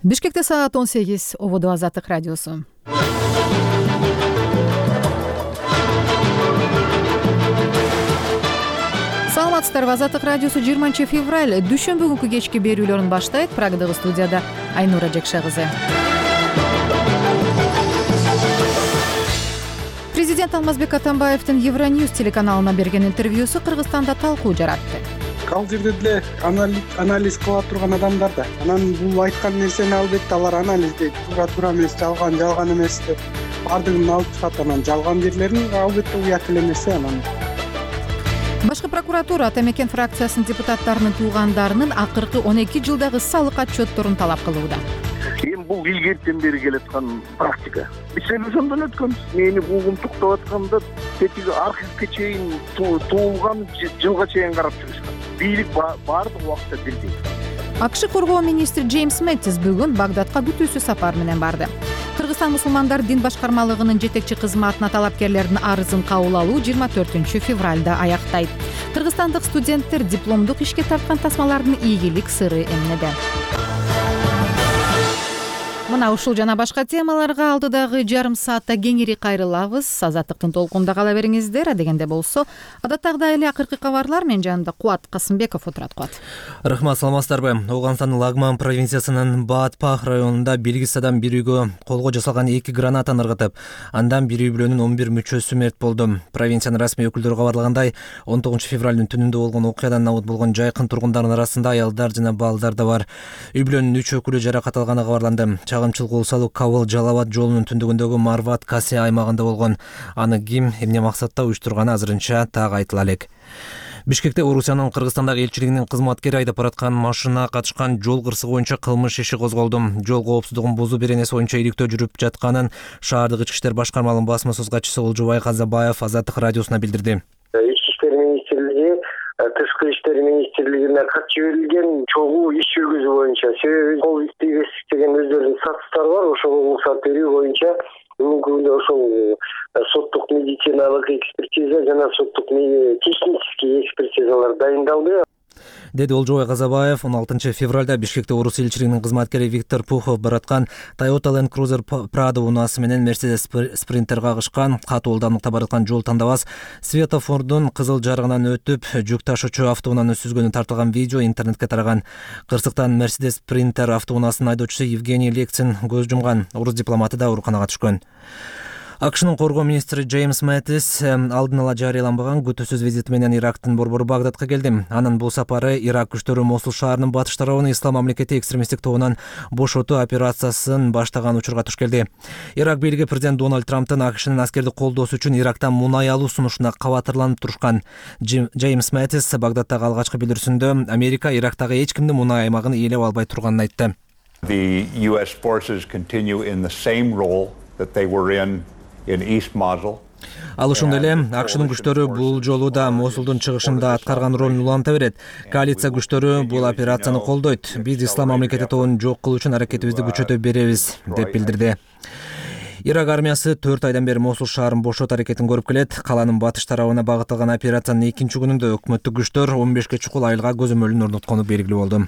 Бишкекте саат 18. Ободо Азаттык радиосу. Саламатсыздарбы, Азаттык радиосу 20 февраль дүйшөмбү күнкү кечки берүүлөрүн баштайт. Прагадагы студияда Айнура Жекше кызы. Президент Алмазбек Атамбаевдин Евроньюз телеканалына берген интервьюсу Кыргызстанда талкуу жаратты. Ал жерде деле анализ кыла турган адамдар да. Анан бул айткан нерсени албетте алар анализдейт. Туура эмес, жалган эмес деп бардыгын алып чыгат. Анан жалган жерлерин албетте уят эле нерсе анан. Башкы прокуратура Ата Мекен фракциясынын депутаттарынын туугандарынын акыркы 12 жылдагы салык отчетторун талап кылууда. Эми бул илгертен бери келаткан практика. Биз ошондон өткөнбүз. Мени угумтуктап атканда тетиги архивге чейин туулган жылга чейин карап жүрүшкөн. Бийлик баардык убакытта бирдей. АКШ коргоо министри Джеймс Мэттис бүгүн Багдадка күтүүсүз сапар менен барды. Кыргызстан мусулмандар дин башкармалыгынын жетекчи кызматына талапкерлердин арызын кабыл алуу 24 февралда аяктайт. Кыргызстандык студенттер дипломдук ишке тарткан тасмалардын ийгилик сыры эмнеде? Мына ушул жана башка темаларга алдыдагы жарым саатта кеңири кайрылабыз. Азаттыктын толкунунда кала бериңиздер. Адегенде болсо, адаттагыдай эле акыркы кабарлар менен жанында Кубат Касымбеков отурат. Кубат. Рахмат, саламатсыздарбы? Ооганстандын Лагман провинциясынын Баатпах районунда белгисиз адам бир үйгө колго жасалган 2 гранатаны ыргытып, андан бир үй бүлөнүн 11 мүчөсү мерт болду. Провинциянын расмий өкүлдөрү кабарлагандай, 19 февралдын түнүндө болгон окуядан абыт болгон жайкын тургундардын арасында аялдар жана балдар да бар. Үй бүлөнүн 3 өкүлү жаракат алганы кабарланды. Чагымчылык Улсалуу Кабыл Жалалабад жолунун түндүгүндөгү Марват Касе аймагында болгон. Аны ким, эмне максатта уюштурганы азырынча так айтыла элек. Бишкекте Орусиянын Кыргызстандагы элчилигинин кызматкери айдап бараткан машина катышкан жол кырсыгы боюнча кылмыш иши козголду. Жол коопсуздугун бузуу беренеси боюнча иликтөө жүрүп жатканын шаардык ички иштер башкармалыгынын басма сөз катчысы Олжобай Казабаев Азаттык радиосуна билдирди. Ички иштер министрлиги Тышкы иштер министрлигине кат жиберилген чогуу иш жүргүзүү боюнча, себеби кол тийбестик деген өздөрүнүн статустары бар. Ошого уруксат берүү боюнча бүгүнкү күндө ошол соттук медициналык экспертиза жана соттук технический экспертизалар дайындалды, деди Олжобай Казабаев. 16 февралда Бишкекте Орус элчилигинин кызматкери Виктор Пухов бараткан Toyota Land Cruiser Prado унаасы менен Mercedes Sprinter кагышкан. Катуу ылдамдыкта бараткан жол тандабас светофордун кызыл жарыгынан өтүп, жүк ташуучу автоунааны сүзгөнү тартылган видео интернетке тараган. Кырсыктан Mercedes Sprinter автоунаасынын айдоочусу Евгений Лексин көз жумган. Орус дипломаты да ооруканага түшкөн. АКШнын коргоо министри Джеймс Мэттис алдын ала жарыяланбаган күтүүсүз визити менен Ирактын борбору Багдадка келди. Анын бул сапары Ирак күчтөрү Мосул шаарынын батыш тарабын Ислам мамлекети экстремисттик тобунан бошотуу операциясын баштаган учурга туш келди. Ирак бийлиги президент Дональд Трамптын АКШнын аскердик колдоосу үчүн Ирактан мунай алуу сунушуна кабатырланып турушкан. Джеймс Мэттис Багдадтагы алгачкы билдирүүсүндө Америка Ирактагы эч кимдин мунай аймагын ээлеп албай турганын айтты. The US forces continue in the same role that they were in East Mosul. Ал ошондой эле АКШнын күчтөрү бул жолу да Мосулдун чыгышында аткарган ролун уланта берет. Коалиция күчтөрү бул операцияны колдойт. Биз Ислам мамлекети тобун жок кылуу үчүн аракетибизди күчөтө беребиз, деп билдирди. Ирак армиясы 4 айдан бери Мосул шаарын бошотуу аракетин көрүп келет. Каланын батыш тарабына багытталган операциянын 2-чи күнүндө өкмөттүк күчтөр 15 чукул айылга көзөмөлүн орноткону белгилүү болду.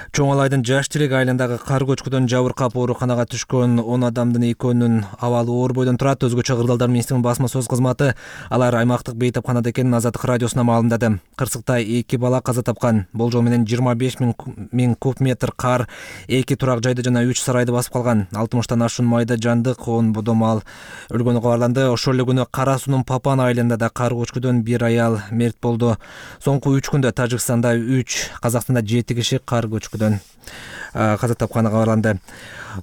Чоң Алайдын Жаш Челек айылындагы кар көчкүдөн жабыркап ооруканага түшкөн 10 адамдын экөөнүн абалы оор бойдон турат. Өзгөчө Кырдаалдар министринин басма сөз кызматы алар аймактык бейтапканада экенин Азаттык радиосуна маалымдады. Кырсыкта 2 бала каза тапкан. Болжол менен 25 миң куб метр кар 2 турак жайды жана 3 сарайды басып калган. 60тан ашуун майда жандык 10 бодомал өлгөнү кабарланды. Ошол эле күнү Кара суунун Папан айылында да кар көчкүдөн 1 аял мерт болду. Соңку 3 күндө Тажикстанда 3, Казакстанда 7 киши кар көчкүдөн каза тапканы кабарланды.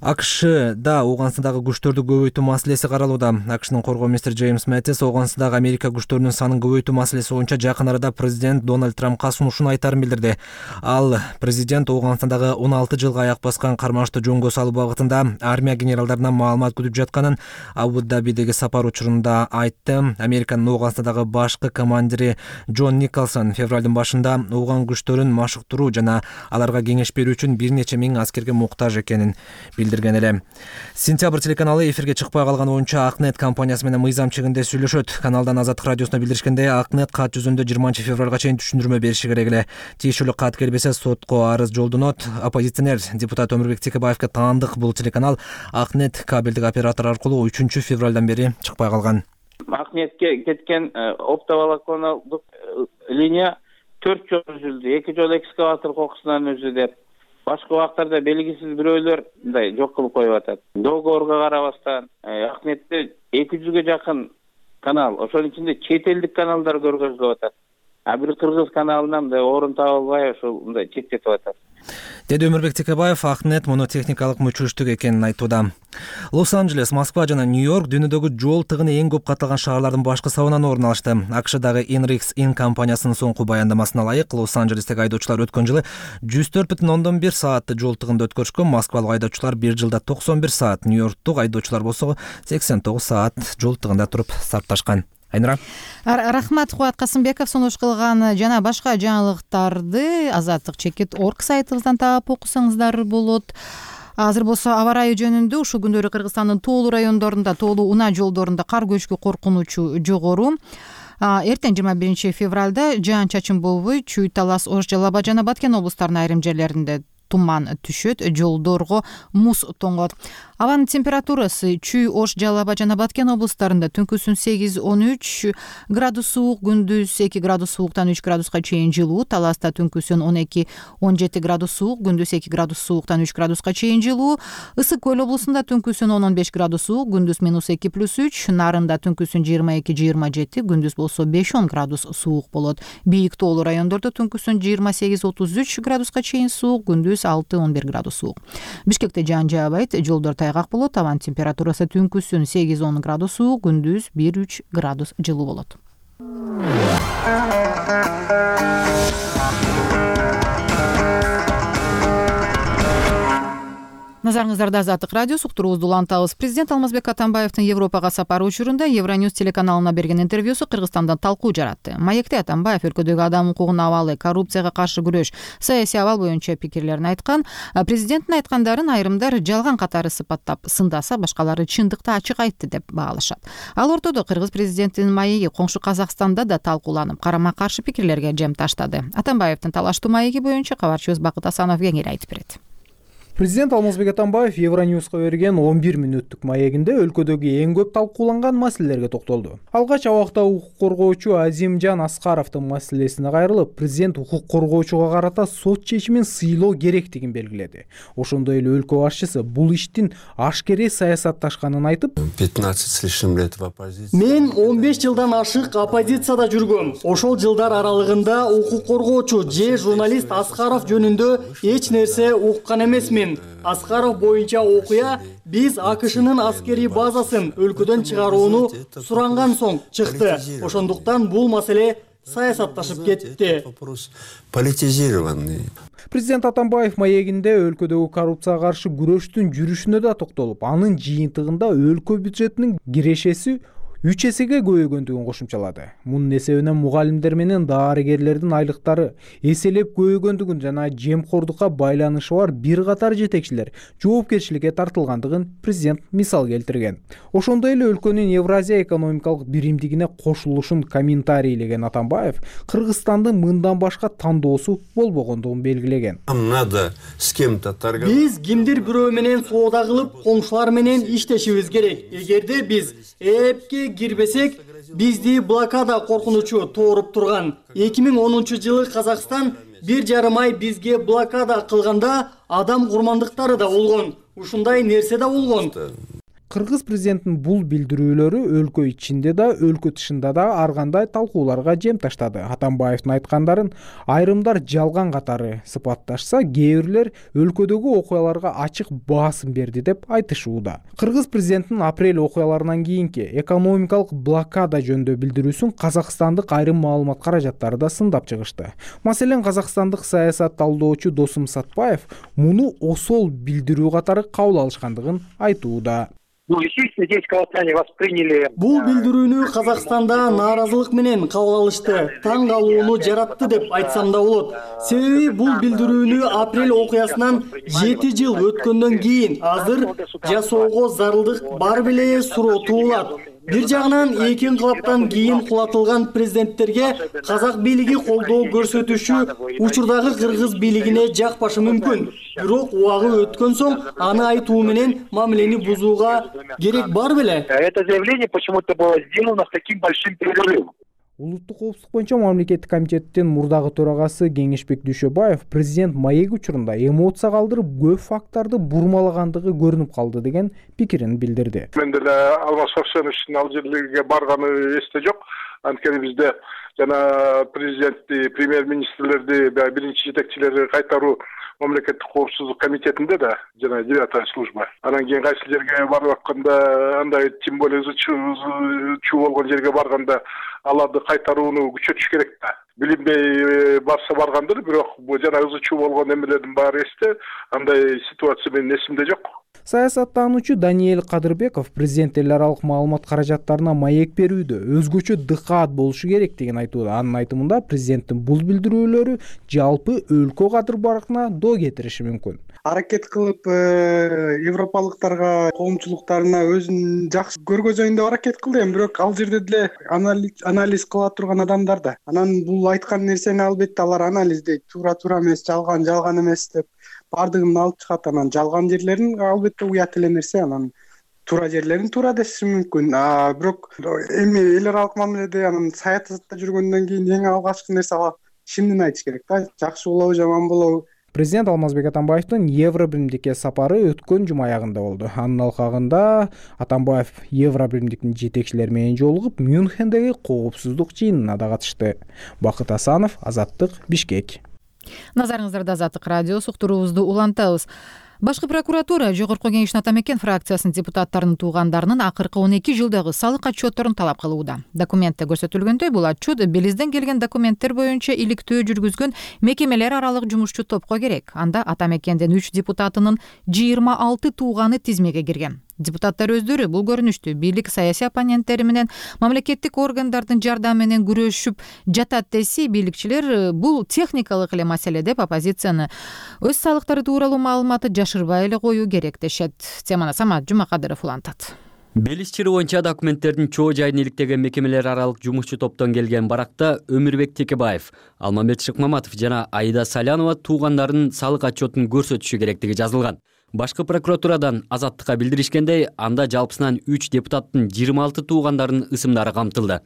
АКШда Ооганстандагы күчтөрдү көбөйтүү маселеси каралууда. АКШнын коргоо министри Джеймс Мэттис Ооганстандагы Америка күчтөрүнүн санын көбөйтүү маселеси боюнча жакын арада президент Дональд Трампка сунушун айтарын билдирди. Ал президент Ооганстандагы 16 жылга аяк баскан кармашты жөнгө салуу багытында армия генералдарынан маалымат күтүп жатканын Абу-Дабидеги сапар учурунда айтты. Американын Ооганстандагы башкы командири Джон Николсон февралдын башында Ооган күчтөрүн машыктыруу жана аларга кеңеш берүү үчүн бир нече миң аскерге муктаж экенин билдирген эле. Сентябрь телеканалы эфирге чыкпай калган боюнча Акнет компаниясы менен мыйзам чегинде сүйлөшөт. Каналдан Азаттык радиосуна билдиришкендей, Акнет кат жүзүндө 20 февралга чейин түшүндүрмө бериши керек эле. Тиешелүү кат келбесе сотко арыз жолдонот. Оппозиционер депутат Өмүрбек Текебаевге таандык бул телеканал Акнет кабелдик оператор аркылуу 3 февралдан бери чыкпай калган. Акнетке кеткен оптоволоконалдык линия 4 жолу үзүлдү. 2 жолу экскаватор кокусунан өзү деп. Башка убактарда белгисиз бирөөлөр мындай жок кылып коюп атат. Договорго карабастан Акнетте 200-гө жакын канал, ошонун ичинде чет элдик каналдар көргөзүлүп атат. Бир кыргыз каналынан мындай орун таба албай ошол мындай чектетип атат. Деди Өмүрбек Текебаев. Акнет муну техникалык мүчүлүштүк экенин айтууда. Лос-Анджелес, Москва жана Нью-Йорк дүйнөдөгү жол тыгыны эң көп катталган шаарлардын башкы сабынан орун алышты. АКШдагы INRIX компаниясынын соңку баяндамасына ылайык, Лос-Анджелестеги айдоочулар өткөн жылы 104,1 саатты жол тыгында өткөрүшкөн. Москвалык айдоочулар бир жылда 91 саат, Нью-Йорктук айдоочулар болсо 89 саат жол тыгында туруп сапташкан. Айнура. Рахмат, Кубат Касымбеков. Сунуш кылган жана башка жаңылыктарды Азаттык.org сайтыбыздан таап окусаңыздар болот. Азыр болсо аба ырайы жөнүндө ушул күндөрү Кыргызстандын тоолуу райондорунда, тоолуу унаа жолдорунда кар көчкү коркунучу жогору. Эртең 21 февралда жаан-чачын болбой, Чүй, Талас, Ош, Жалал Абад жана Баткен облустарынын айрым жерлеринде туман түшөт, жолдорго муз тоңот. Абанын температурасы Чүй, Ош, Жалал Абад жана Баткен облустарында түнкүсүн 8-13 градус суук, күндүз 2 градус сууктан 3 градуска чейин жылуу. Таласта түнкүсүн 12-17 градус суук, күндүз 2 градус сууктан 3 градуска чейин жылуу. Ысык көл облусунда түнкүсүн 10-15 градус суук, күндүз -2+3, Нарында түнкүсүн 22-27, күндүз болсо 5-10 градус суук болот. Бийик тоолуу райондордо түнкүсүн 28-33 градуска чейин суук, күндүз 6-11 градус суук. Бишкекте жаан жаабайт, жолдор тайгак болот. Абанын температурасы түнкүсүн 8-10 градус суук, күндүз 1-3 градус жылуу болот. Назарыңыздарда Азаттык радио, суктуруубузду улантабыз. Президент Алмазбек Атамбаевдин Европага сапары учурунда Евроньюз телеканалына берген интервьюсу Кыргызстанда талкуу жаратты. Маекте Атамбаев өлкөдөгү адам укугунун абалы, коррупцияга каршы күрөш, саясий абал боюнча пикирлерин айткан. Президенттин айткандарын айрымдар жалган катары сыпаттап сындаса, башкалары чындыкты ачык айтты деп баалашат. Ал ортодо кыргыз президентинин маеги коңшу Казакстанда да талкууланып, карама-каршы пикирлерге жем таштады. Атамбаевдин талаштуу маеги боюнча кабарчыбыз Бакыт Асанов кеңири айтып берет. Президент Алмазбек Атамбаев Евроньюзга берген 11 мүнөттүк маегинде өлкөдөгү эң көп талкууланган маселелерге токтолду. Алгач абакта укук коргоочу Азимжан Аскаровдун маселесине кайрылып, президент укук коргоочуга карата сот чечимин сыйлоо керектигин белгиледи. Ошондой эле өлкө башчысы бул иштин ашкере саясатташканын айтып, 15 с лишним лет в оппозиции. Мен 15 жылдан ашык оппозицияда жүргөм. Ошол жылдар аралыгында укук коргоочу же журналист Аскаров жөнүндө эч нерсе уккан эмесмин. Аскаров боюнча окуя биз АКШнын аскерий базасын өлкөдөн чыгарууну суранган соң чыкты. Ошондуктан бул маселе саясатташып кетти. Политизированный. Президент Атамбаев маегинде өлкөдөгү коррупцияга каршы күрөштүн жүрүшүнө да токтолуп, анын жыйынтыгында өлкө бюджетинин кирешеси 3 эсеге көбөйгөндүгүн кошумчалады. Мунун эсебинен мугалимдер менен дарыгерлердин айлыктары эселеп көбөйгөндүгүн жана жемкордукка байланышы бар бир катар жетекчилер жоопкерчиликке тартылгандыгын президент мисал келтирген. Ошондой эле өлкөнүн Евразия экономикалык биримдигине кошулушун комментарийлеген Атамбаев Кыргызстандын мындан башка тандоосу болбогондугун белгилеген. Надо с кем-то торговать. Биз кимдир бирөө менен соода кылып, коңшулар менен иштешибиз керек. Эгерде биз эпке кирбесек, бизди блокада коркунучу тооруп турган. 2010-жылы Казакстан 1,5 ай бизге блокада кылганда адам курмандыктары да болгон. Ушундай нерсе да болгон. Кыргыз президентинин бул билдирүүлөрү өлкө ичинде да, өлкө тышында да ар кандай талкууларга жем таштады. Атамбаевдин айткандарын айрымдар жалган катары сыпатташса, кээ бирлер өлкөдөгү окуяларга ачык баасым берди деп айтышууда. Кыргыз президентинин апрель окуяларынан кийинки экономикалык блокада жөнүндө билдирүүсүн казакстандык айрым маалымат каражаттары да сындап чыгышты. Маселен, казакстандык саясат талдоочу Досум Сатпаев муну осол билдирүү катары кабыл алышкандыгын айтууда. Ну, естественно, здесь казахстане восприняли. Бул билдирүүнү Казакстанда нааразылык менен кабыл алышты. Таң калууну жаратты деп айтсам да болот. Себеби бул билдирүүнү апрель окуясынан 7 жыл өткөндөн кийин азыр жасоого зарылдык бар беле суроо туулат. Бир жагынан эки инкылаптан кийин кулатылган президенттерге казак бийлиги колдоо көрсөтүшү учурдагы кыргыз бийлигине жакпашы мүмкүн. Бирок убагы өткөн соң аны айтуу менен мамилени бузууга керек бар беле? Это заявление почему-то было сделано с таким большим перерывом. Улуттук коопсуздук боюнча мамлекеттик комитеттин мурдагы төрагасы Кеңешбек Дүйшөбаев президент маек учурунда эмоция калтырып көп факттарды бурмалагандыгы көрүнүп калды деген пикирин билдирди. Мен деле Алмаз Шаршеновичтин ал жерлерге барганы эсте жок. Анткени бизде жана президентти, премьер-министрлерди, биринчи жетекчилерди кайтаруу мамлекеттик коопсуздук комитетинде да жана 9-та служба. Анан кийин кайсы жерге барып атканда, андай тем более чуу болгон жерге барганда аларды кайтарууну күчөтүш керек да. Билинбей барса баргандыр, бирок жана чуу болгон эмелердин баары эсте. Андай ситуация менин эсимде жок. Саясаттануучу Даниэль Кадырбеков президент эл аралык маалымат каражаттарына маек берүүдө өзгөчө дыкаат болушу керек деген айтууда. Анын айтымында президенттин бул билдирүүлөрү жалпы өлкө кадыр баркына доо кетириши мүмкүн. Аракет кылып европалыктарга, коомчулуктарына өзүн жакшы көргөзөйүн деп аракет кылды, бирок ал жерде деле анализ кыла турган адамдар да. Анан бул айткан нерсени албетте алар анализдейт, туура эмес, жалган эмес деп бардыгын алып чыгат. Анан жалган жерлерин албетте уят эле нерсе, анан туура жерлерин туура деши мүмкүн. Бирок эми эл аралык мамиледе, анан саясатта жүргөндөн кийин эң алгачкы нерсе чындын айтыш керек да, жакшы болобу, жаман болобу. Президент Алмазбек Атамбаевдин Евробиримдикке сапары өткөн жума аягында болду. Анын алкагында Атамбаев Евробиримдиктин жетекчилери менен жолугуп, Мюнхендеги коопсуздук жыйынына да катышты. Бакыт Асанов, Азаттык, Бишкек. Назарыңыздарда Азаттык радиосу, уктуруубузду улантабыз. Башкы прокуратура Жогорку Кеңештин Ата Мекен фракциясынын депутаттарынын туугандарынын акыркы 12 жылдагы салык отчетторун талап кылууда. Документте көрсөтүлгөндөй, бул отчет Белизден келген документтер боюнча иликтөө жүргүзгөн мекемелер аралык жумушчу топко керек. Анда Ата Мекендин 3 депутатынын 26 тууганы тизмеге кирген. Депутаттар өздөрү бул көрүнүштү бийлик саясий оппоненттери менен мамлекеттик органдардын жардамы менен күрөшүп жатат десе, бийликчилер бул техникалык эле маселе деп оппозицияны өз салыктары тууралуу маалыматты жашырбай эле коюу керек дешет. Теманы Самат Жумакадыров улантат. Белиз чыры боюнча документтердин чоо жайын иликтеген мекемелер аралык жумушчу топтон келген баракта Өмүрбек Текебаев, Алмамет Шыкмаматов жана Аида Салянова туугандарынын салык отчетун көрсөтүшү керектиги жазылган. Башкы прокуратурадан Азаттыкка билдиришкендей, анда жалпысынан 3 депутаттын 26 туугандарынын ысымдары камтылды.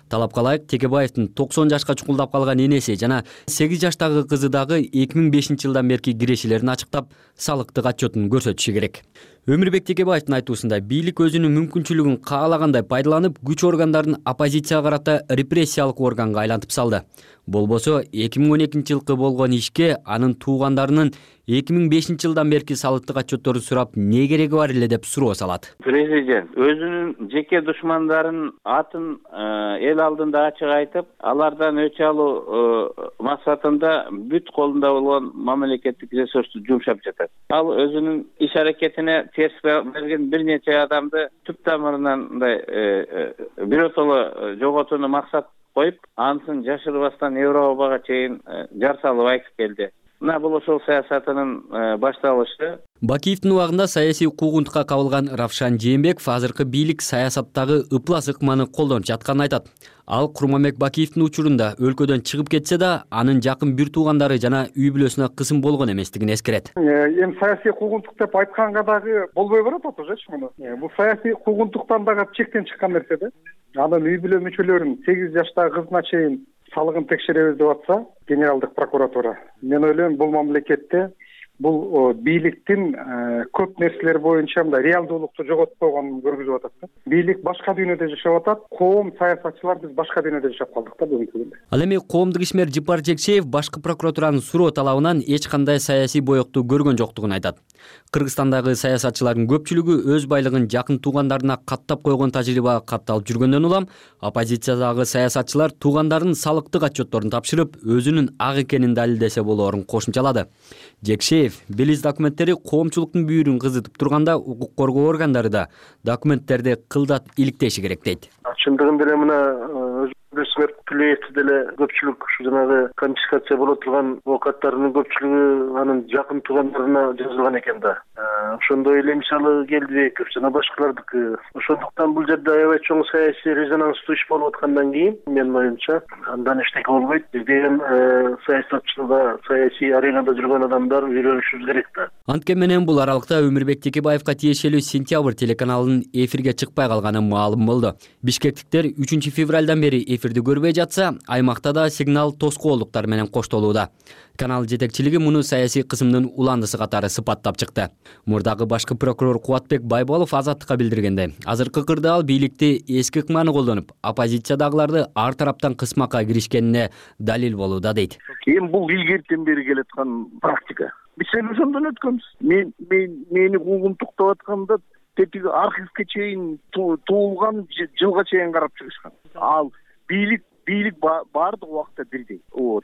Талапка ылайык Текебаевдин 90 жашка чукулдап калган энеси жана 8 жаштагы кызы дагы 2005-жылдан берки кирешилерин ачыктап, салыктык отчетун көрсөтүшү керек. Өмүрбек Текебаевдин айтуусунда бийлик өзүнүн мүмкүнчүлүгүн каалагандай пайдаланып, күч органдарын оппозицияга карата репрессиялык органга айлантып салды. Болбосо 2012-жылкы болгон ишке анын туугандарынын 2005-жылдан берки салыктык отчеттору сурап не кереги бар эле деп суроо салат. Президент өзүнүн жеке душмандарын атын эл алдында ачык айтып, алардан өч алуу максатында бүт колунда болгон мамлекеттик ресурсту жумшап жатат. Ал өзүнүн иш аракетине терс берген бир нече адамды түп тамырынан биротоло жоготууну максат коюп, ансын жашырбастан Европага чейин жар салып айтып келди. Мына бул ошол саясатынын башталышы. Бакиевдин убагында саясий куугунтукка кабылган Равшан Жээнбеков азыркы бийлик саясаттагы ыплас ыкманы колдонуп жатканын айтат. Ал Курманбек Бакиевдин учурунда өлкөдөн чыгып кетсе да, анын жакын бир туугандары жана үй бүлөсүнө кысым болгон эместигин эскерет. Эми саясий куугунтук деп айтканга дагы болбой барат отурчу муну. Бул саясий куугунтуктан дагы чектен чыккан нерсе да. Анын үй бүлө мүчөлөрүн 8 жаштагы кызына чейин салыгын текшеребиз деп атса, генералдык прокуратура. Мен ойлойм, бул мамлекетте бул бийликтин көп нерселер боюнча мындай реалдуулукту жоготуп койгонун көргүзүп атат да. Бийлик башка дүйнөдө жашап атат, коом саясатчылар биз башка дүйнөдө жашап калдык да бүгүнкү күндө. Ал эми коомдук ишмер Жыпар Жекшеев башкы прокуратуранын суроо талабынан эч кандай саясий боёкту көргөн жоктугун айтат. Кыргызстандагы саясатчылардын көпчүлүгү өз байлыгын жакын туугандарына каттап койгон тажрыйба катталып жүргөндөн улам, оппозициядагы саясатчылар туугандарынын салыктык отчетторун тапшырып, өзүнүн ак экенин далилдесе болоорун кошумчалады. Жекшеев Баев Белиз документтери коомчулуктун бүйүрүн кызытып турганда укук коргоо органдары да документтерди кылдат иликтеши керек дейт. Чындыгында эле мына өзүңөр билесиз деле көпчүлүк ушу жанагы конфискация боло турган оокаттарынын көпчүлүгү анын жакын туугандарына жазылган экен да. Ошондой эле мисалы Келдибеков жана башкалардыкы. Ошондуктан бул жерде аябай чоң саясий резонанстуу иш болуп аткандан кийин менин оюмча андан эчтеке болбойт деген саясатчылар, саясий аренада жүргөн адамдар үйрөнүшүбүз керек да. Анткени менен бул аралыкта Өмүрбек Текебаевка тиешелүү Сентябрь телеканалынын эфирге чыкпай калганы маалым болду. Бишкектиктер 3 февралдан бери эфирди көрбөй жатса, аймакта да сигнал тоскоолдуктар менен коштолууда. Канал жетекчилиги муну саясий кысымдын уландысы катары сыпаттап чыкты. Мурдагы башкы прокурор Кубатбек Байболов Азаттыкка билдиргенде, азыркы кырдаал бийликти эски ыкманы колдонуп, оппозициядагыларды ар тараптан кысмакка киришкенине далил болууда дейт. Эми бул илгертен бери келаткан практика. Биз ошондон өткөнбүз. Мени угумтуктап атканда тетиги архивке чейин туулган жылга чейин карап чыгышкан. Ал бийлик баардык убакта бирдей.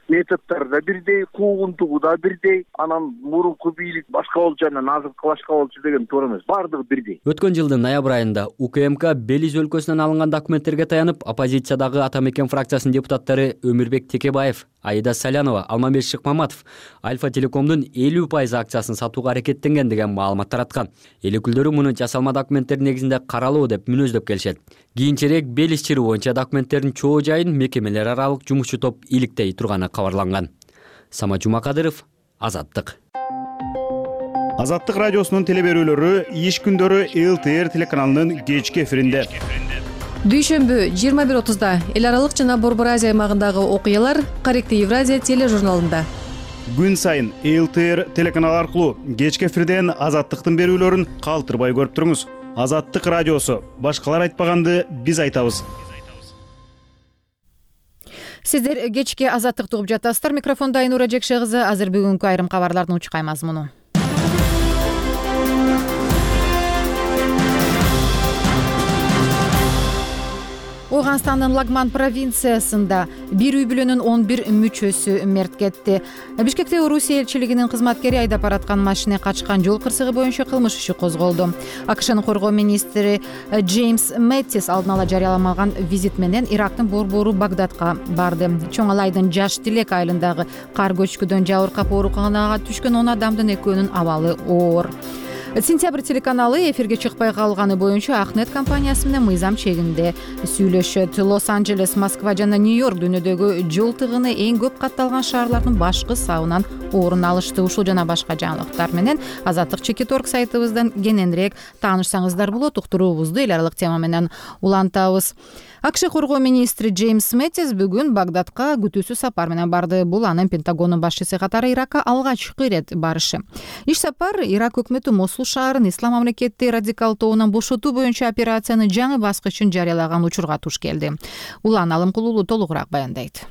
Методдор да бирдей, куугунтугу да бирдей. Анан мурунку бийлик башка болчу, анан азыркы башка болчу деген туура эмес. Баардыгы бирдей. Өткөн жылдын ноябрь айында УКМК Белиз өлкөсүнөн алынган документтерге таянып, оппозициядагы Ата Мекен фракциясынын депутаттары Өмүрбек Текебаев, Аида Салянова, Алмамбет Шыкмаматов Альфа Телекомдун 50% акциясын сатууга аракеттенген деген маалымат тараткан. Эл өкүлдөрү муну жасалма документтер негизинде каралуу деп мүнөздөп келишет. Кийинчерээк Белиз чыры боюнча документтердин чоо жайын мекемелер аралык жумушчу топ иликтей турганы кабарланган. Самат Жумакадыров, Азаттык. Азаттык радиосунун телеберүүлөрү иш күндөрү ЛТР телеканалынын кечки эфиринде. Дүйшөмбү 21:30 эл аралык жана Борбор Азия аймагындагы окуялар Корректив Евразия тележурналында. Күн сайын ЛТР телеканалы аркылуу кечки эфирден Азаттыктын берүүлөрүн калтырбай көрүп туруңуз. Азаттык радиосу. Башкалар айтпаганды биз айтабыз. Сиздер кечки Азаттыкты угуп жатасыздар. Микрофонда Айнура Жекше кызы. Азыр бүгүнкү айрым кабарлардын учкай мазмуну. Ооганстандын Лагман провинциясында бир үй бүлөнүн 11 мүчөсү мерт кетти. Бишкекте Орусия элчилигинин кызматкери айдап бараткан машина качкан жол кырсыгы боюнча кылмыш иши козголду. АКШнын коргоо министри Джеймс Мэттис алдын ала жарыяламаган визит менен Ирактын борбору Багдадка барды. Чоң Алайдын Жаш Тилек айылындагы кар көчкүдөн жабыркап ооруканага түшкөн 10 адамдын экөөнүн абалы оор. Сентябрь телеканалы эфирге чыкпай калганы боюнча Ахнет компаниясы менен мыйзам чегинде сүйлөшөт. Лос-Анджелес, Москва жана Нью-Йорк дүйнөдөгү жол тыгыны эң көп катталган шаарлардын башкы сабынан орун алышты. Ушул жана башка жаңылыктар менен Азаттык Чекиторг сайтыбыздан кененирээк таанышсаңыздар болот. Уктуруубузду эл аралык тема менен улантабыз. АКШ коргоо министри Джеймс Мэттис бүгүн Багдадка күтүүсүз сапар менен барды. Бул анын Пентагондун башчысы катары Иракка алгачкы ирет барышы. Иш сапар Ирак өкмөтү Мосул шаарын ислам мамлекети радикал тобунан бошотуу боюнча операциянын жаңы баскычын жарыялаган учурга туш келди. Улан Алымкулуулу толугураак баяндайт.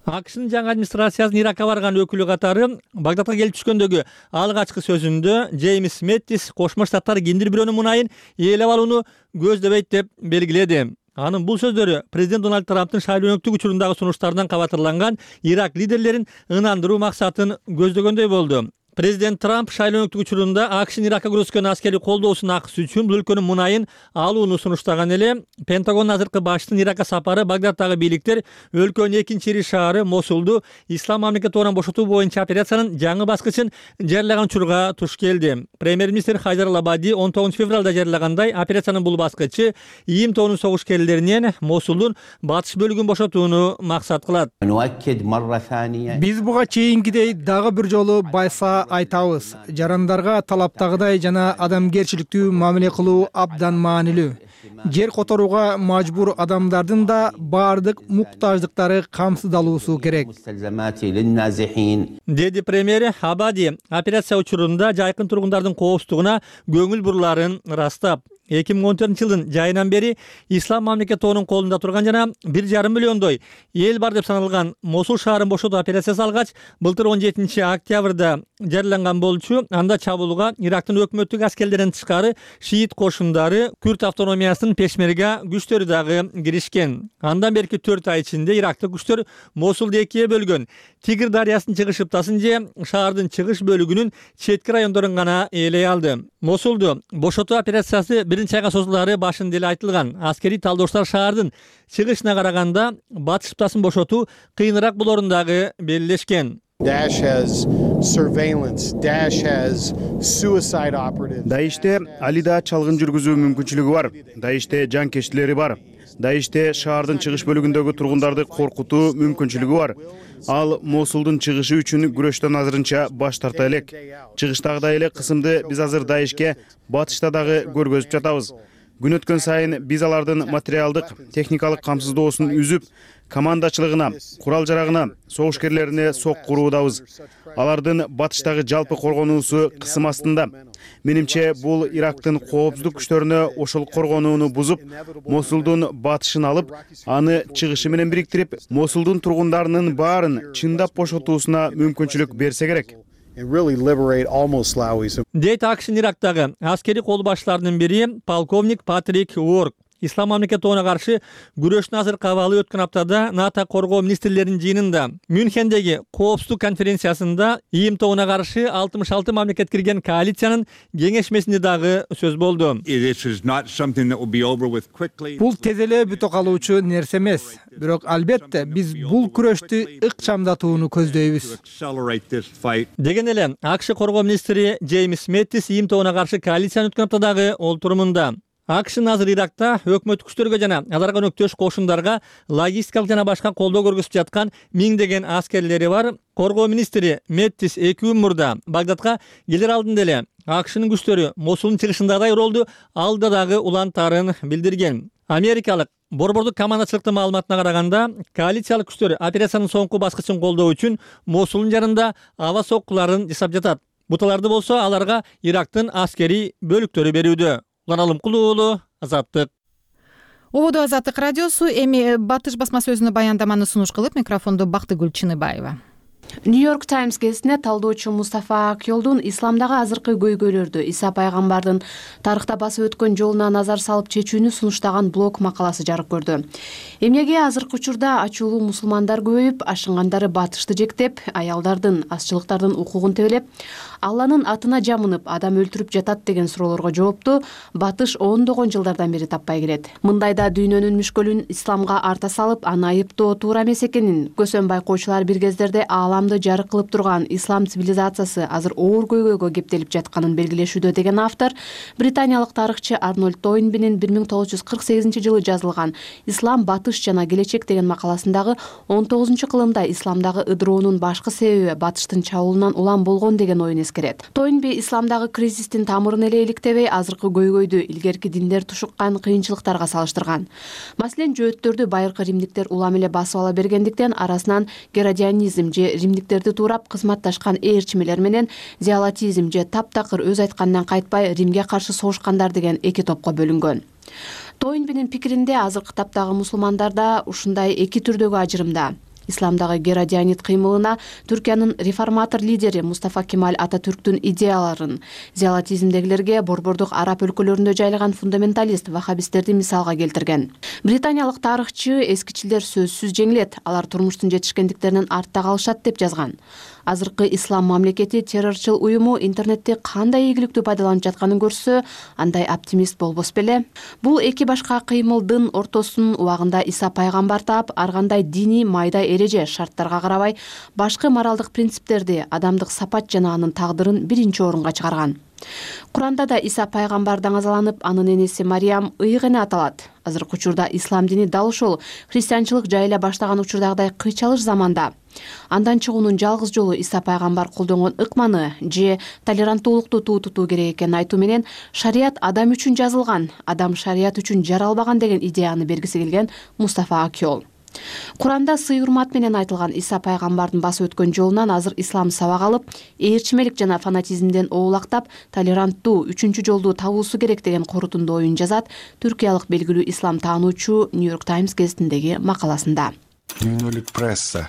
АКШнын жаңы администрациясынын Иракка барган өкүлү катары Багдадка келип түшкөндөгү алгачкы сөзүндө Джеймс Мэттис Кошмо Штаттар киндир бирөөнүн мунайын ээлеп алууну көздөбөйт деп белгиледи. Анын бул сөздөрү президент Дональд Трамптын шайлоолуктук учурундагы сунуштарынан кабатырланган Ирак лидерлерин ынандыруу максатын көздөгөндөй болду. Президент Трамп шайлоолуктук учурунда АКШнын Иракка көрсөткөн аскерий колдоосунун акысы үчүн бул өлкөнүн мунайын алууну сунуштаган эле. Пентагон азыркы баштын Иракка сапары Багдадтагы бийликтер өлкөнүн экинчи ири шаары Мосулду ислам мамлекети тобунан бошотуу боюнча операциянын жаңы баскычын жарыялаган учурга туш келди. Премьер-министр Хайдар Ал-Абади 19 февралда жарыялагандай операциянын бул баскычы ИИМ тобунун согушкерлеринен Мосулдун батыш бөлүгүн бошотууну максат кылат. Биз буга чейинкидей дагы бир жолу байса айтабыз. Жарандарга талаптагыдай жана адамгерчиликтүү мамиле кылуу абдан маанилүү. Жер которууга мажбур адамдардын да баардык муктаждыктары камсыздалуусу керек. Деди премьер Абади операция учурунда жайкын тургундардын коопсуздугуна көңүл буруларын ырастап, 2014 жылдын жайынан бери Ислам мамлекет тобунун колунда турган жана 1,5 миллиондой эл бар деп саналган Мосул шаарын бошотуу операциясы алгач, былтыр 17 октябрда жарыяланган болчу. Анда чабуулга Ирактын өкмөттүк аскерлеринен тышкары шиит кошундары, Күрд автономиясынын пешмерга күчтөрү дагы киришкен. Андан берки 4 ай ичинде ирактык күчтөр Мосулду экиге бөлгөн. Тигр дарыясынын чыгыш ыптасын же шаардын чыгыш бөлүгүнүн четки райондорун гана ээлей алды. Мосулду бошотуу операциясы биринчи айга созулаары башында эле айтылган. Аскерий талдоочулар шаардын чыгышына караганда батыш ыптасын бошотуу кыйыныраак болоорун дагы белгилешкен. Даиште алида чалгын жүргүзүү мүмкүнчүлүгү бар. Даиште жанкечтилери бар. Даиште шаардын чыгыш бөлүгүндөгү тургундарды коркутуу мүмкүнчүлүгү бар. Ал Мосулдун чыгышы үчүн күрөштөн азырынча баш тарта элек. Чыгыштагыдай эле кысымды биз азыр Даишке батышта дагы көргөзүп жатабыз. Күн өткөн сайын биз алардын материалдык, техникалык камсыздоосун үзүп, командачылыгына, курал-жарагына, согушкерлерине сок куруудабыз. Алардын батыштагы жалпы коргонуусу кысым астында. Менимче бул Ирактын коопсуздук күчтөрүнө ошол коргонууну бузуп, Мосулдун батышын алып, аны чыгышы менен бириктирип, Мосулдун тургундарынын баарын чындап бошотуусуна мүмкүнчүлүк берсе керек. Дейт АКШнын Ирактагы аскерий кол башчыларынын бири полковник Патрик Уорк. Ислам мамлекет тобуна каршы күрөштүн азыркы абалы өткөн аптада НАТО коргоо министрлеринин жыйынында Мюнхендеги коопсуздук конференциясында ИИМ тобуна каршы 66 мамлекет кирген коалициянын кеңешмесинде дагы сөз болду. Бул тез эле бүтө калуучу нерсе эмес. Бирок албетте биз бул күрөштү ыкчамдатууну көздөйбүз. Деген эле АКШ коргоо министри Джеймс Мэттис ИИМ тобуна каршы коалициянын өткөн аптадагы олтурумунда АКШнын азыр Иракта өкмөттүк күчтөргө жана аларга өнөктөш кошундарга логистикалык жана башка колдоо көргөзүп жаткан миңдеген аскерлери бар. Коргоо министри Мэттис 2 күн мурда Багдадка келер алдында эле АКШнын күчтөрү Мосулдун чыгышындагы ролду алда дагы улантаарын билдирген. Америкалык борбордук командачылыктын маалыматына караганда, коалициялык күчтөр операциянын соңку баскычын колдоо үчүн Мосулдун жарында аба соккуларын жасап жатат. Буталарды болсо аларга Ирактын аскерий бөлүктөрү берүүдө. Улан Алымкулуу уулу, Азаттык. Ободо Азаттык радиосу. Эми Батыш басма сөзүнө баяндаманы сунуш кылып, микрофонду Бактыгүл Чыныбаева. Нью-Йорк Таймс гезитине талдоочу Мустафа Акёлдун исламдагы азыркы көйгөйлөрдү Иса пайгамбардын тарыхта басып өткөн жолуна назар салып чечүүнү сунуштаган блог макаласы жарык көрдү. Эмнеге азыркы учурда ачуулуу мусулмандар көбөйүп, ашынгандары батышты жектеп, аялдардын, азчылыктардын укугун тебелеп, Алланын атына жамынып, адам өлтүрүп жатат деген суроолорго жоопту батыш ондогон жылдардан бери таппай келет. Мындайда дүйнөнүн мүшкөлүн исламга арта салып, аны айыптоо туура эмес экенин көсөн байкоочулар бир кездерде ааламды жарык кылып турган ислам цивилизациясы азыр оор көйгөйгө кептелип жатканын белгилешүүдө деген автор британиялык тарыхчы Арнольд Тойнбинин 1948 жылы жазылган «Ислам, батыш жана келечек» деген макаласындагы 19-кылымда исламдагы ыдыроонун башкы себеби батыштын чабуулунан улам болгон деген оюн эскерет. Тойнби исламдагы кризистин тамырын эле иликтебей, азыркы көйгөйдү илгерки диндер тушуккан кыйынчылыктарга салыштырган. Маселен, жөөттөрдү байыркы римдиктер улам эле басып ала бергендиктен арасынан геродианизм же римдиктерди туурап кызматташкан ээрчимелер менен зиялатизм же таптакыр өз айтканынан кайтпай Римге каршы согушкандар деген эки топко бөлүнгөн. Тойнбинин пикиринде азыркы таптагы мусулмандар да ушундай эки түрдөгү ажырымда. Исламдагы геродианит кыймылына Түркиянын реформатор лидери Мустафа Кемаль Ататүрктүн идеяларын, зиялатизмдегилерге борбордук араб өлкөлөрүндө жайлаган фундаменталист вахабисттерди мисалга келтирген. Британиялык тарыхчы эскичилер сөзсүз жеңилет, алар турмуштун жетишкендиктеринен артта калышат деп жазган. Азыркы ислам мамлекети террорчул уюму интернетти кандай ийгиликтүү пайдаланып жатканын көрсө, андай оптимист болбос беле? Бул эки башка кыймылдын ортосун убагында Иса пайгамбар таап, ар кандай диний майда эреже, шарттарга карабай, башкы моралдык принциптерди, адамдык сапат жана анын тагдырын биринчи орунга чыгарган. Куранда да Иса пайгамбар даңазаланып, анын энеси Мариям ыйык эне аталат. Азыркы учурда ислам дини дал ушул христианчылык жайыла баштаган учурдагыдай кыйчалыш заманда андан чыгуунун жалгыз жолу Иса пайгамбар колдонгон ыкманы же толеранттуулукту тутуу керек экенин айтуу менен шарият адам үчүн жазылган, адам шарият үчүн жаралбаган деген идеяны бергиси келген Мустафа Акёл. Куранда сый урмат менен айтылган Иса пайгамбардын басып өткөн жолунан азыр ислам сабак алып, ээрчимелик жана фанатизмден оолактап, толеранттуу үчүнчү жолду табуусу керек деген корутунду оюн жазат түркиялык белгилүү ислам таануучу New York Times гезитиндеги макаласында. Дүйнөлүк пресса.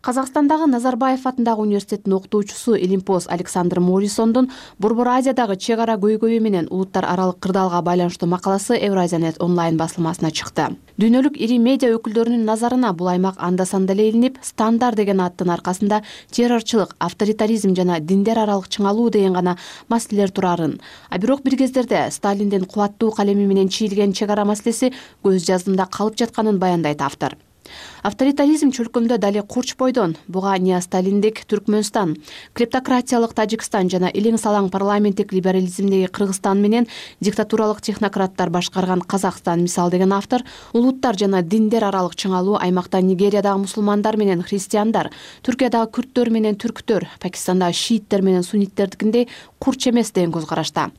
Казакстандагы Назарбаев атындагы университеттин окутуучусу Илимпоз Александр Моррисондун Борбор Азиядагы чек ара көйгөйү менен улуттар аралык кырдаалга байланыштуу макаласы Евразиянет онлайн басылмасына чыкты. Дүйнөлүк ири медиа өкүлдөрүнүн назарына бул аймак анда-санда эле илинип, стандар деген аттын аркасында террорчулук, авторитаризм жана диндер аралык чыңалуу деген гана маселелер турарын, а бирок бир кездерде Сталиндин кубаттуу калеми менен чийилген чек ара маселеси көз жаздымда калып жатканын баяндайт автор. Авторитаризм чөлкөмдө дали Курч бойдон, буга неосталиндик Түркмөнстан, клептократиялык Тажикстан жана илиң салаң парламенттик либерализмдеги Кыргызстан менен диктатуралык технократтар башкарган Казакстан мисал деген автор, улуттар жана диндер аралык чыңалуу аймакта Нигериядагы мусулмандар менен христиандар, Түркиядагы күрттөр менен түрктөр, Пакистандагы шииттер менен сунниттердикиндей курч эмес деген көз карашта.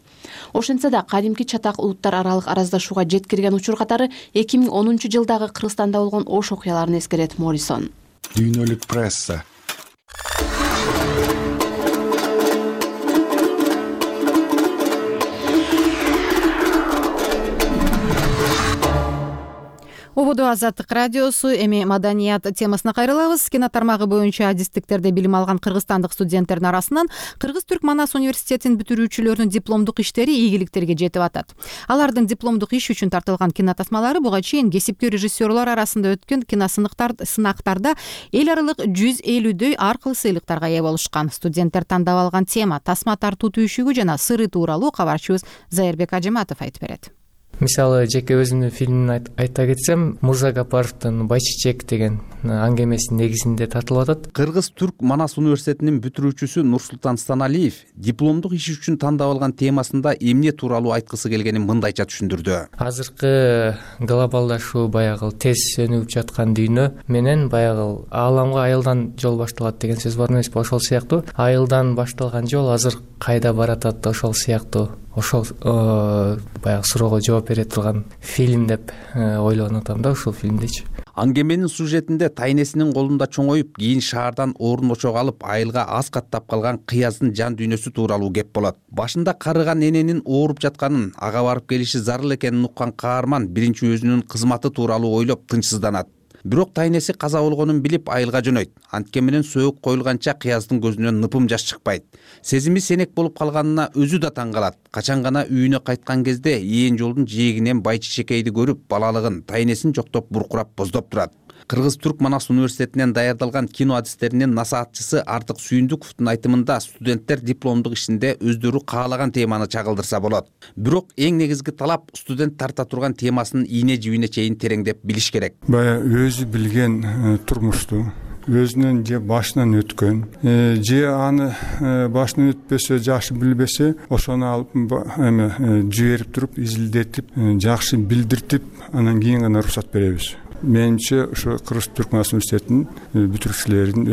Ошентсе да кадимки чатак улуттар аралык араздашууга жеткирген учур катары 2010-жылдагы Кыргызстанда болгон ош окуяларын эскерет Моррисон. Дүйнөлүк пресса. Ободо Азаттык радиосу, эми маданият темасына кайрылабыз. Кино тармагы боюнча адистиктерде билим алган кыргызстандык студенттердин арасынан Кыргыз-Түрк Манас университетинин бүтүрүүчүлөрүнүн дипломдук иштери ийгиликтерге жетип атат. Алардын дипломдук иш үчүн тартылган кино тасмалары буга чейин кесипкөй режиссерлор арасында өткөн сынактарда эл аралык 150дөй ар кыл сыйлыктарга ээ болушкан. Студенттер тандап алган тема тасма тартуу түйшүгү жана сыры тууралуу кабарчыбыз Зайырбек Ажыматов айтып берет. Мисалы, жеке өзүмдүн фильмин айта кетсем, Мурзагапаровдун Байчичек деген аңгемесинин негизинде тартылып атат. Кыргыз-Түрк Манас университетинин бүтүрүүчүсү Нурсултан Станалиев дипломдук иш үчүн тандап алган темасында эмне тууралуу айткысы келгенин мындайча түшүндүрдү. Азыркы глобалдашуу, баягы тез өнүгүп жаткан дүйнө менен баягы ааламга айылдан жол башталат деген сөз бар эмеспи? Ошол сыяктуу айылдан башталган жол азыр кайда баратат, ошол сыяктуу ошол баягы суроого жооп бере турган фильм деп ойлонуп атам да, ушул фильмдечи. Аңгеменин сюжетинде тайнесинин колунда чоңоюп, кийин шаардан орун очок алып, айылга аз каттап калган Кыяздын жан дүйнөсү тууралуу кеп болот. Башында карыган эненин ооруп жатканын, ага барып келиши зарыл экенин уккан каарман биринчи өзүнүн кызматы тууралуу ойлоп тынчсызданат. Бирок тайнеси каза болгонун билип айылга жөнөйт. Анткени менен сөөк коюлганча Кыяздын көзүнөн ныпым жаш чыкпайт. Сезими сенек болуп калганына өзү да таң калат. Качан гана үйүнө кайткан кезде ээн жолдун жээгинен Байчичекейди көрүп, балалыгын, тайнесин жоктоп буркурап боздоп турат. Кыргыз-Түрк Манас университетинен даярдалган кино адистеринин насаатчысы Артык Сүйүндүковдун айтымында студенттер дипломдук ишинде өздөрү каалаган теманы чагылдырса болот. Бирок эң негизги талап студент тарта турган темасынын ийне жибине чейин тереңдеп билиш керек. Бая өзү билген турмушту, өзүнүн же башынан өткөн, же аны башынан өтпөсө, жакшы билбесе, ошону алып жиберип туруп, изилдетип, жакшы билдиртип, анан кийин гана уруксат беребиз. Менимче ошо Кыргыз-Түрк Манас университетинин бүтүрүүчүлөрүнүн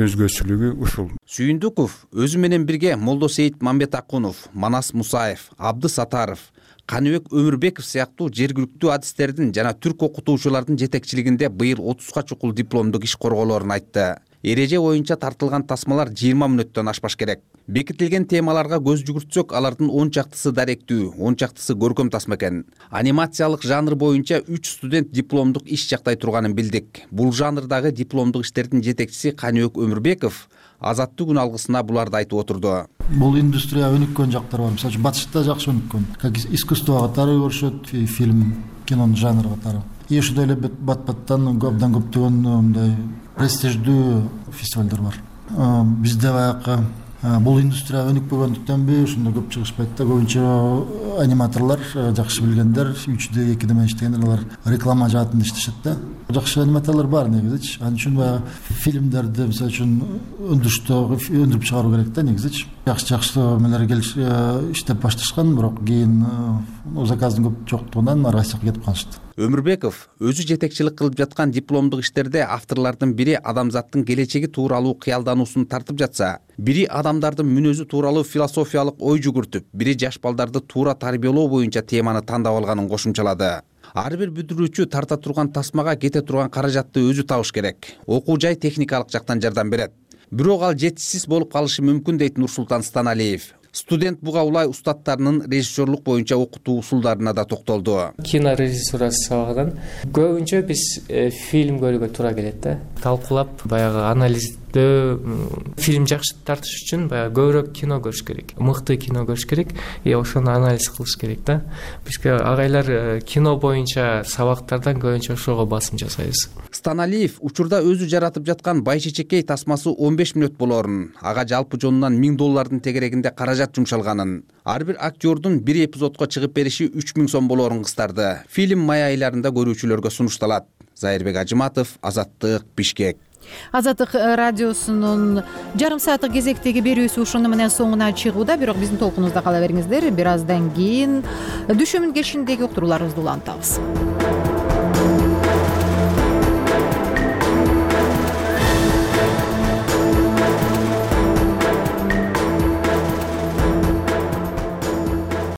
өзгөчөлүгү ушул. Сүйүндүков өзү менен бирге Молдосейит Мамбетакунов, Манас Мусаев, Абды Сатаров, Каныбек Өмүрбеков сыяктуу жергиликтүү адистердин жана түрк окутуучулардын жетекчилигинде быйыл 30га чукул дипломдук иш корголорун айтты. Эреже боюнча тартылган тасмалар 20 мүнөттөн ашпаш керек. Бекитилген темаларга көз жүгүртсөк, алардын 10 чактысы даректүү, 10 чактысы көркөм тасма экен. Анимациялык жанр боюнча 3 студент дипломдук иш жактай турганын билдик. Бул жанрдагы дипломдук иштердин жетекчиси Каныбек Өмүрбеков Азаттык күн алгысына буларды айтып отурду. Бул индустрия өнүккөн жактар бар. Мисалы, батышта жакшы өнүккөн. Как искусство катары көрүшөт, фильм, кинонун жанры катары. И ошондой эле бат-баттан абдан көптөгөн мындай престиждүү фестивалдар бар. Бизде баягы бул индустрия өнүкпөгөндүктөнбү, ошондо көп чыгышпайт да. Көбүнчө аниматорлор, жакшы билгендер, 3D, 2D менен иштегендер, алар реклама жаатында иштешет да. Жакшы аниматорлор бар негизичи. Ал үчүн баягы фильмдерди, мисалы үчүн өндүрүп чыгаруу керек да негизичи. Жакшы эмелер иштеп башташкан, бирок кийин заказдын көп жоктугунан Россияга кетип калышты. Өмүрбеков өзү жетекчилик кылып жаткан дипломдук иштерде авторлордун бири адамзаттын келечеги тууралуу кыялдануусун тартып жатса, бири адамдардын мүнөзү тууралуу философиялык ой жүгүртүп, бири жаш балдарды туура тарбиялоо боюнча теманы тандап алганын кошумчалады. ар бир бүтүрүүчү тарта турган тасмага кете турган каражатты өзү табыш керек. Окуу жай техникалык жактан жардам берет. Бирок ал жетишсиз болуп калышы мүмкүн дейт Нурсултан Станалиев. Студент буга улай устаттарынын режиссерлук боюнча окутуу усулдарына да токтолду. Кино режиссурасы сабагынан көбүнчө биз фильм көрүүгө туура келет да. Талкуулап баягы анализдөө фильм жакшы тартыш үчүн баягы көбүрөөк кино көрүш керек, мыкты кино көрүш керек, ошону анализ кылыш керек да. Бизге агайлар кино боюнча сабактардан көбүнчө ошого басым жасайбыз. Станалиев учурда өзү жаратып жаткан Байчечекей тасмасы 15 мүнөт болорун, ага жалпы жонунан $1000 тегерегинде каражат жумшалганын, ар бир актердун бир эпизодко чыгып бериши 3000 сом болорун кыстарды. Фильм май айларында көрүүчүлөргө сунушталат. Зайырбек Ажыматов, Азаттык, Бишкек. Азаттык радиосунун жарым сааттык кезектеги берүүсү ушуну менен соңуна чыгууда, бирок биздин толкунубузда кала бериңиздер. Бир аздан кийин düşümün келишиндеги уктурууларыбызды улантабыз.